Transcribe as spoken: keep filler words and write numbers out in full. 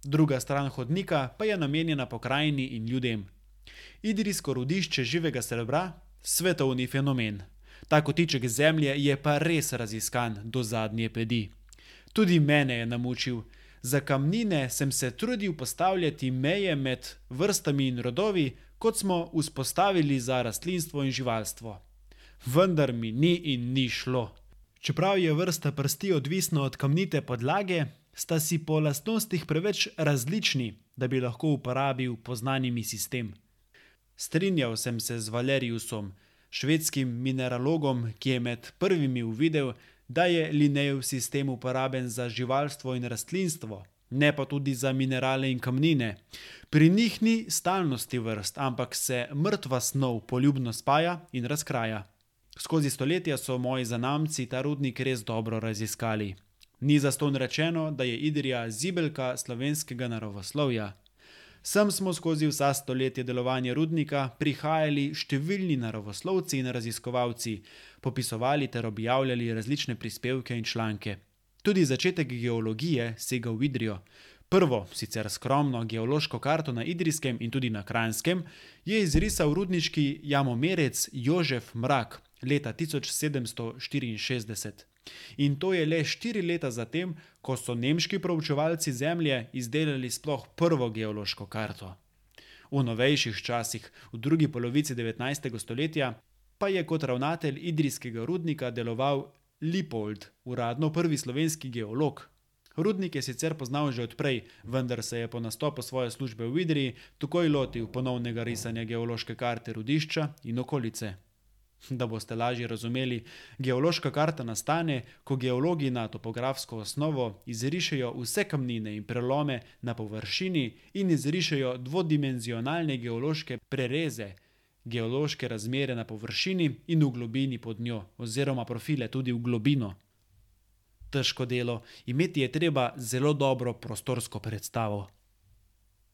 druga stran hodnika pa je namenjena pokrajini in ljudem. Idrijsko rudišče živega srebra, svetovni fenomen. Ta kotiček zemlje je pa res raziskan do zadnje pedi. Tudi mene je namučil. Za kamnine sem se trudil postavljati meje med vrstami in rodovi, kot smo vzpostavili za rastlinstvo in živalstvo. Vendar mi ni in ni šlo. Čeprav je vrsta prsti odvisna od kamnite podlage, sta si po lastnostih preveč različni, da bi lahko uporabil poznani sistem. Strinjal sem se z Valeriusom, švedskim mineralogom, ki je med prvimi uvidel, da je Linnejev sistem uporaben za živalstvo in rastlinstvo, ne pa tudi za minerale in kamnine. Pri njih ni stalnosti vrst, ampak se mrtva snov poljubno spaja in razkraja. Skozi stoletja so moji zanamci ta rudnik res dobro raziskali. Ni zastonj rečeno, da je Idrija zibelka slovenskega naravoslovja. Sem smo skozi vsa stoletja delovanja rudnika prihajali številni naravoslovci in raziskovalci, popisovali ter objavljali različne prispevke in članke. Tudi začetek geologije sega v Idrijo. Prvo, sicer skromno geološko karto na Idrijskem in tudi na Kranjskem, je izrisal rudniški jamomerec Jožef Mrak leta tisoč sedemsto štiriinšestdeset. In to je le štiri leta zatem, ko so nemški proučevalci zemlje izdelali sploh prvo geološko karto. V novejših časih, v drugi polovici devetnajstega stoletja, pa je kot ravnatelj idrijskega rudnika deloval Lipold, uradno prvi slovenski geolog. Rudnik je sicer poznal že odprej, vendar se je po nastopu svoje službe v Idriji takoj lotil ponovnega risanja geološke karte rudišča in okolice. Da boste lažje razumeli, geološka karta nastane, ko geologi na topografsko osnovo izrišejo vse kamnine in prelome na površini in izrišejo dvodimenzionalne geološke prereze, geološke razmere na površini in v globini pod njo, oziroma profile tudi v globino. Težko delo, imeti je treba zelo dobro prostorsko predstavo.